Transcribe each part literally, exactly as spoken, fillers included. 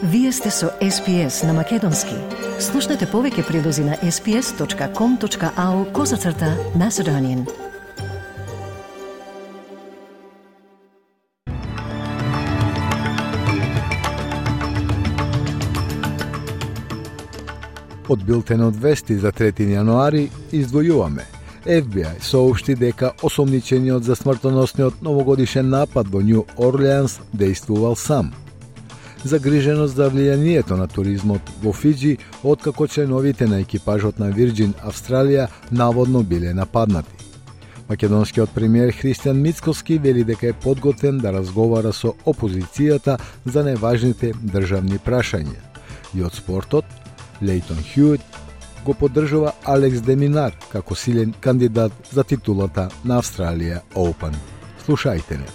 Вие сте со Ес Пи Ес на Македонски. Слушнете повеќе прилози на ес пи ес точка ком точка ау козацрта Macedonian. Од билтенот вести за трети јануари издвојуваме. Еф Би Ај соопшти дека осомничениот за смртоносниот новогодишен напад во Њу Орлеанс дејствувал сам. Загриженост за влијанието на туризмот во Фиџи откако членовите на екипажот на Вирџин Австралија наводно биле нападнати. Македонскиот премиер Христијан Мицкоски вели дека е подготвен да разговара со опозицијата за најважните државни прашања. И од спортот, Лейтон Хјуит го поддржува Алекс де Минар како силен кандидат за титулата на Австралија Оупен. Слушајте не.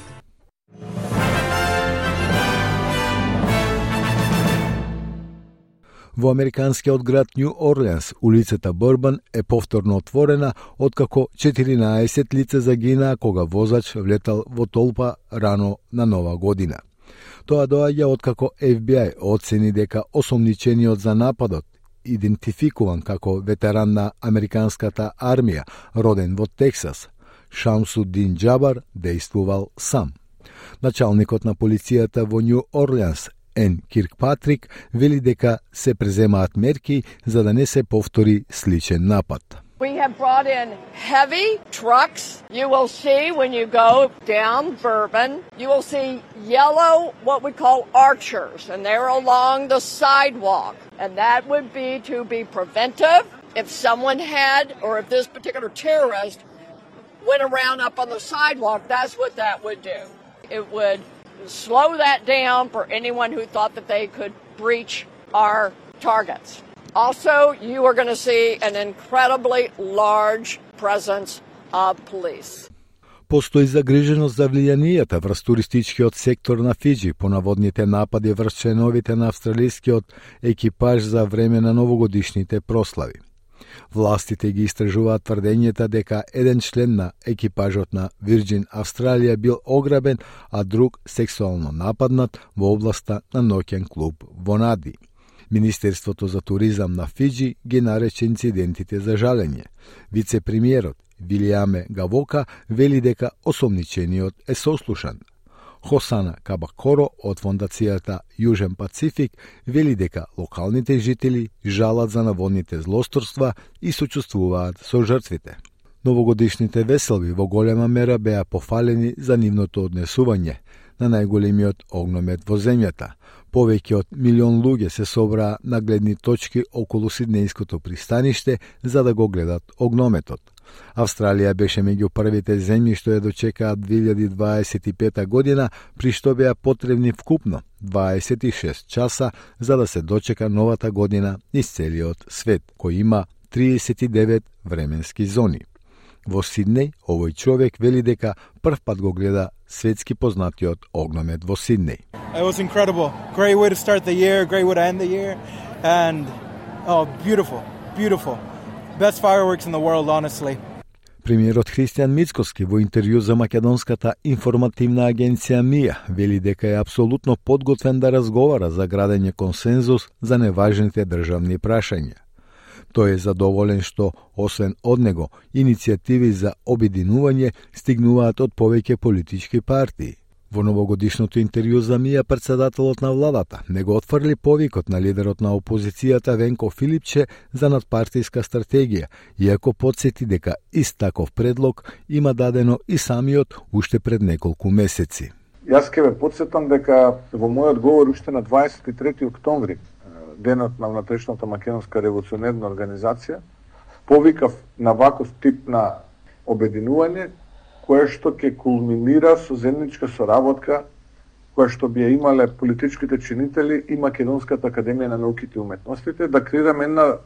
Во американскиот град Њу Орлеанс, улицата Борбан е повторно отворена откако четиринаесет лица загинаа кога возач влетал во толпа рано на Нова година. Тоа доаѓа откако Еф Би Ај оцени дека осомничениот за нападот, идентификуван како ветеран на американската армија, роден во Тексас, Шамсудин Џабар, дејствувал сам. Началникот на полицијата во Њу Орлеанс, Ен Киркпатрик, вели дека се преземаат мерки за да не се повтори сличен напад. We have brought in heavy trucks. You will see when you go down Bourbon, you will see yellow, what we call archers, and they're along the sidewalk. And that would be to be preventive if someone had, or if this particular terrorist went around up on the sidewalk, that's what that would do. It would slow that down for anyone who thought that they could breach our targets. Also, you are going to see an incredibly large presence of police. Постои загриженост за влијанието врз туристичкиот сектор на Фиџи по наводните напади врз членовите на австралискиот екипаж за време на новогодишните прослави. Властите ги истражуваат тврдењата дека еден член на екипажот на Вирџин Австралија бил ограбен, а друг сексуално нападнат во областа на ноќен клуб во Нади. Министерството за туризам на Фиџи ги нарече инцидентите за жалење. Вице-премиерот Вилијаме Гавока вели дека осомничениот е сослушан. Хосана Кабакоро од фондацијата Јужен Пацифик вели дека локалните жители жалат за наводните злосторства и сочувствуваат со жртвите. Новогодишните веселби во голема мера беа пофалени за нивното однесување на најголемиот огномет во земјата. Повеќе од милион луѓе се собраа на гледни точки околу Сиднејското пристаниште за да го гледат огнометот. Австралија беше меѓу првите земји што ја дочекаа две илјади дваесет и пета година, при што беа потребни вкупно дваесет и шест часа за да се дочека новата година низ целиот свет, кој има триесет и девет временски зони. Во Сиднеј, овој човек вели дека прв пат го гледа светски познатиот огномет во Сиднеј. It was incredible. Great way to start the year, great way to end the year, and oh, beautiful, beautiful. Best fireworks in the world, honestly. Премиерот Христијан Мицкоски во интервју за македонската информативна агенција МИА вели дека е апсолутно подготвен да разговара за градење консензус за неважните државни прашања. Тој е задоволен што, освен од него, иницијативи за обединување стигнуваат од повеќе политички партии. Во новогодишното интервју за МИА претседателот на владата не го отфрли повикот на лидерот на опозицијата Венко Филипче за надпартиска стратегија, иако потсети дека ист таков предлог има дадено и самиот уште пред неколку месеци. Јас ќе ве потсетам дека во мојот говор уште на дваесет и трети октомври, денот на внатрешната македонска револуционерна организација, повикав на ваков тип на обединување, кое што ќе кулминира со заедничка соработка која што би ја имале политичките чинители и Македонската академија на науките и уметностите, да креираме една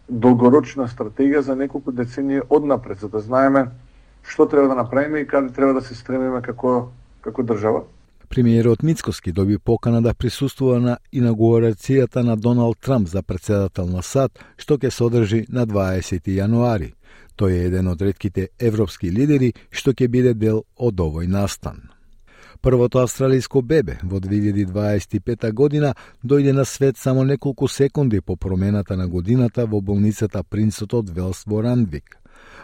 долгорочна стратегија за неколку децении однапред, за да знаеме што треба да направиме и каде треба да се стремиме како како држава. Премиерот Мицкоски доби покана да присуствува на инаугурацијата на Доналд Трамп за претседател на САД, што ќе се одржи на дваесети јануари. Тој е еден од ретките европски лидери што ќе биде дел од овој настан. Првото австралиско бебе во две илјади дваесет и пета година дојде на свет само неколку секунди по промената на годината во болницата Принцот од Велс во Рандвик.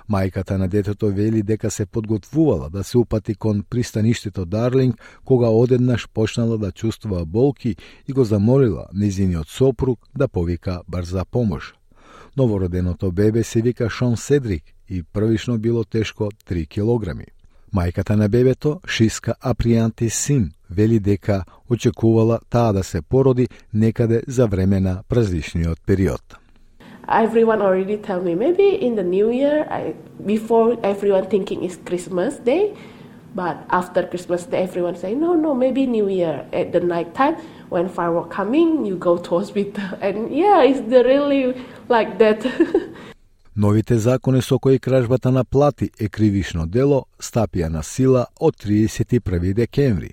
Мајката на детето вели дека се подготвувала да се упати кон пристаништето Дарлинг, кога одеднаш почнала да чувствува болки и го замолила нејзиниот сопруг да повика брза помош. Новороденото бебе се вика Шон Седрик и првично било тешко три килограми. Мајката на бебето, Шиска Апријанти Сим, вели дека очекувала таа да се породи некаде за време на празничниот период. Everyone already tell me maybe in the new year, I, before everyone thinking it's Christmas Day, but after Christmas Day everyone say no no maybe New Year at the night time when firework coming you go to hospital and yeah it's the really like that. Новите закони со кои кражбата на плати е кривишно дело стапија на сила од триесет и први декември.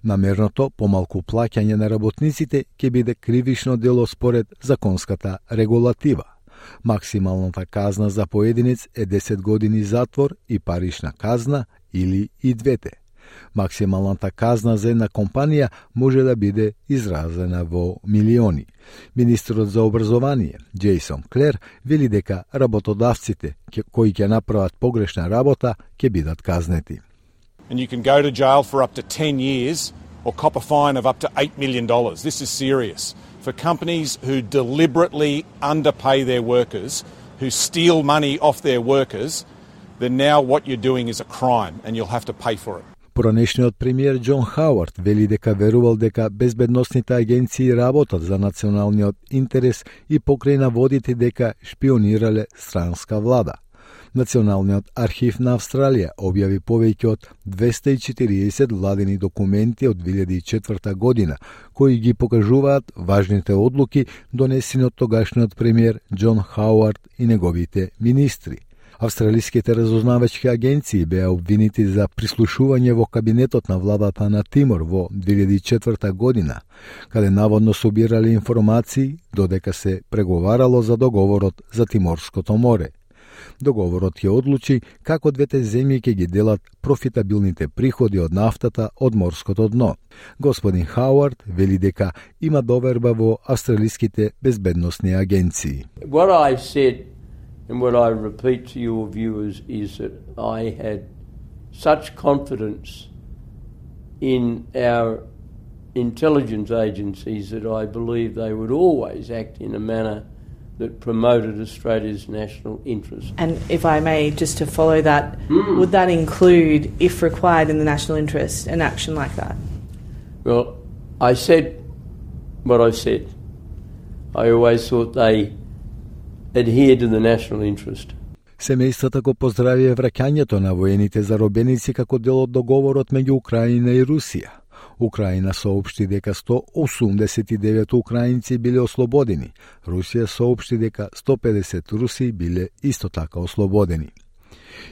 Намерното помалку плаќање на работниците ќе биде кривишно дело според законската регулатива. Максималната казна за поединец е десет години затвор и парична казна или и двете. Максималната казна за една компанија може да биде изразена во милиони. Министерот за образование, Джейсон Клер, вели дека работодавците кои ќе направат погрешна работа ќе бидат казнети. And you can go to jail for up to ten years or cop a fine of up to eight million dollars. This is serious. For companies who deliberately underpay their workers, who steal money off their workers, then now what you're doing is a crime and you'll have to pay for it. Поранешниот премиер Џон Хауард вели дека верувал дека безбедносните агенции работат за националниот интерес и покрај наводите дека шпионирале странска влада. Националниот архив на Австралија објави повеќе од двесте и четириесет владени документи од две илјади и четврта година, кои ги покажуваат важните одлуки донесени од тогашниот премиер Џон Хауард и неговите министри. Австралиските разузнавачки агенции беа обвинити за прислушување во кабинетот на владата на Тимор во две илјади и четврта година, каде наводно собирале информации додека се преговарало за договорот за Тиморското море. Договорот ќе одлучи како двете земји ќе ги делат профитабилните приходи од нафтата од морското дно. Господин Хауард вели дека има доверба во австралиските безбедносни агенции. What I said and what I repeat to your viewers is that I had such confidence in our intelligence agencies that I believe they would always act in a manner that promoted Australia's national interest. And if I may, just to follow that, mm. would that include, if required in the national interest, an action like that? Well, I said what I said. I always thought they adhered to the national interest. Семејствата го поздравија враќањето на воените заробеници како дел од договорот меѓу Украина и Русија. Украина соопшти дека сто осумдесет и девет украинци биле ослободени. Русија соопшти дека сто педесет руси биле исто така ослободени.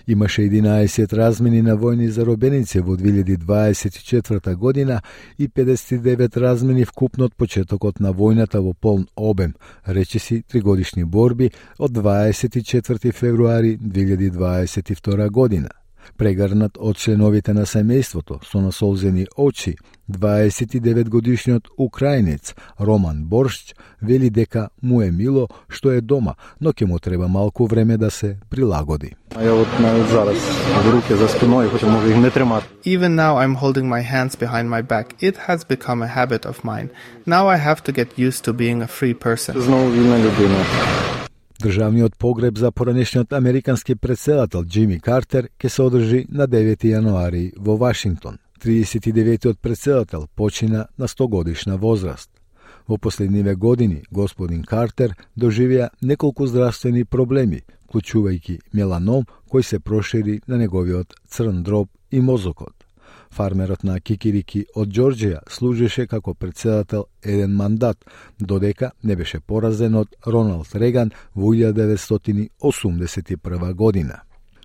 Имаше единаесет размени на војни заробеници во две илјади дваесет и четврта година и педесет и девет размени вкупно од почетокот на војната во полн обем, речиси тригодишни борби од дваесет и четврти февруари две илјади дваесет и втора година. Прегрнат од членовите на семејството со насолзени очи, дваесет и девет годишниот украинец Роман Боршч вели дека му е мило што е дома, но ќе му треба малку време да се прилагоди. Even now I'm holding my hands behind my back. It has become a habit of mine. Now I have to get used to being a free person. Државниот погреб за поранешниот американски претседател Џими Картер ќе се одржи на девети јануари во Вашингтон. триесет и деветиот претседател почина на сто годишна возраст. Во последниве години господин Картер доживеа неколку здравствени проблеми, вклучувајќи меланом кој се прошири на неговиот црн дроб и мозокот. Фармерот на Кикирики од Џорџија служеше како претседател еден мандат, додека не беше поразен од Роналд Реган во илјада деветстотини осумдесет и прва година.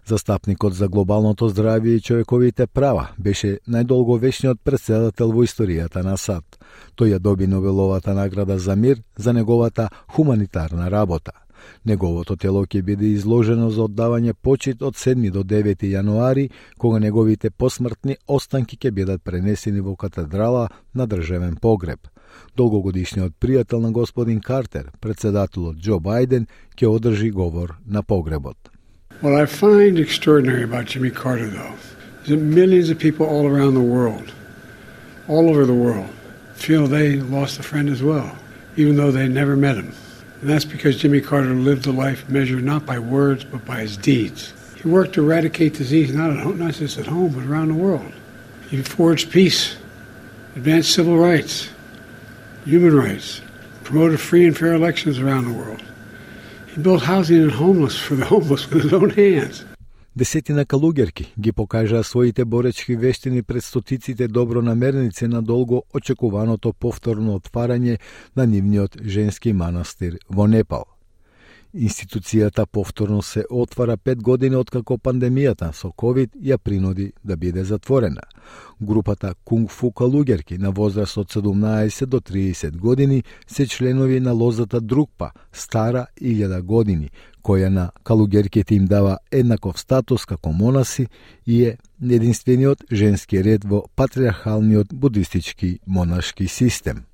Застапникот за глобалното здравје и човековите права беше најдолговечниот претседател во историјата на САД. Тој ја доби Нобеловата награда за мир за неговата хуманитарна работа. Неговото тело ќе биде изложено за оддавање почит од седми до девети јануари, кога неговите посмртни останки ќе бидат пренесени во катедрала на државен погреб. Долгогодишниот пријател на господин Картер, председателот Џо Бајден, ќе одржи говор на погребот. What I find extraordinary about Jimmy Carter, though, is that millions of people all around the world, all over the world, feel they lost a friend as well, even though they never met him. And that's because Jimmy Carter lived a life measured not by words, but by his deeds. He worked to eradicate disease not at home, not just at home, but around the world. He forged peace, advanced civil rights, human rights, promoted free and fair elections around the world. He built housing and homeless for the homeless with his own hands. Десетина калуѓерки ги покажаа своите боречки вештини пред стотиците добронамерници на долго очекуваното повторно отварање на нивниот женски манастир во Непал. Институцијата повторно се отвара пет години откако пандемијата со ковид ја принуди да биде затворена. Групата кунг-фу калуѓерки на возраст од седумнаесет до триесет години се членови на лозата Друкпа, стара илјада години, која на калуѓерките им дава еднаков статус како монаси и е единствениот женски ред во патриархалниот будистички монашки систем.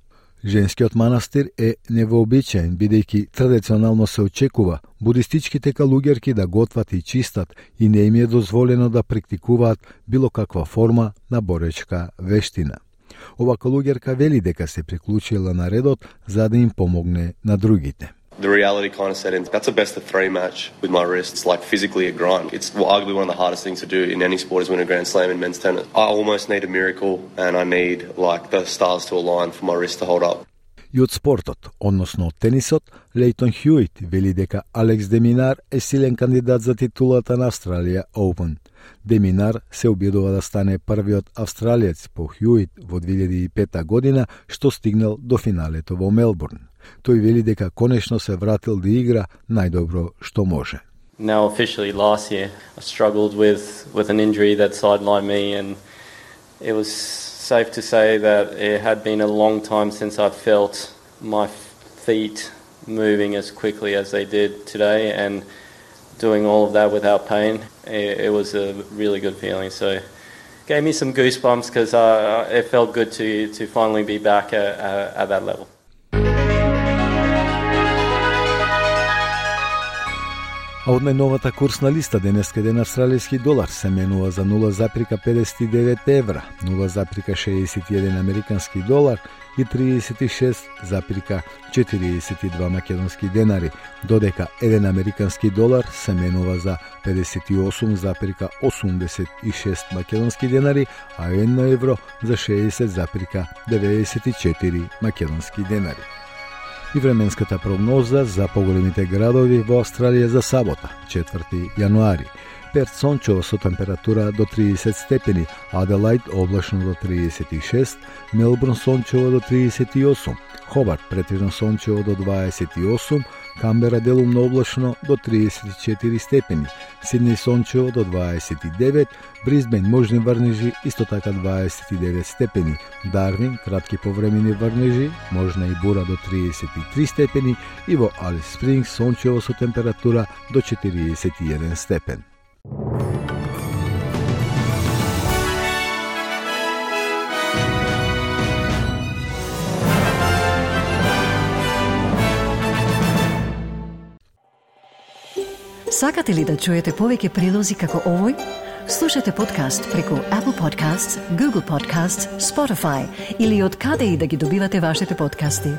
Женскиот манастир е невообичаен, бидејќи традиционално се очекува будистичките калуѓерки да готват и чистат и не им е дозволено да практикуваат било каква форма на боречка вештина. Ова калуѓерка вели дека се приклучила на редот за да им помогне на другите. The reality kind of set in. That's a best of three match with my wrists, like physically a grind. It's arguably one of the hardest things to do in any sport is win a Grand Slam in men's tennis. I almost need a miracle and I need like the stars to align for my wrist to hold up. И од спортот, односно од тенисот, Лейтон Хјуит вели дека Алекс де Минар е силен кандидат за титулата на Австралија Open. Де Минар се обидува да стане првиот австралиец по Хјуит во две илјади и пета година што стигнал до финалето во Мелбурн. Тој вели дека конечно се вратил да игра најдобро што може. Now officially last year I struggled with with an injury that sidelined me and it was safe to say that it had been a long time since I felt my feet moving as quickly as they did today and doing all of that without pain. It, it was a really good feeling. So it gave me some goosebumps because uh, it felt good to to finally be back at, at, at that level. А од најновата курсна листа денеска еден австралијски долар се менува за нула запирка педесет и девет евра, нула запирка шеесет и еден американски долар и триесет и шест запирка четириесет и два македонски денари, додека еден американски долар се менува за педесет и осум запирка осумдесет и шест македонски денари, а едно евро за шеесет запирка деветдесет и четири македонски денари. И временската прогноза за поголемите градови во Австралија за сабота, четврти јануари. Перт сончево со температура до триесет степени, Аделајд облачно до триесет и шест, Мелбурн сончево до триесет и осум, Хобарт претежно сончево до дваесет и осум, Камбера делумно облачно до триесет и четири степени, Сиднеј сончево до дваесет и девет, Брисбен можни врнежи исто така дваесет и девет степени, Дарвин кратки повремени врнежи, можна и бура до триесет и три степени и во Алис Спрингс сончево со температура до четириесет и еден степен. Сакате ли да чуете повеќе прилози како овој? Слушате подкаст преку Apple Podcasts, Google Podcasts, Spotify или од каде и да ги добивате вашите подкасти.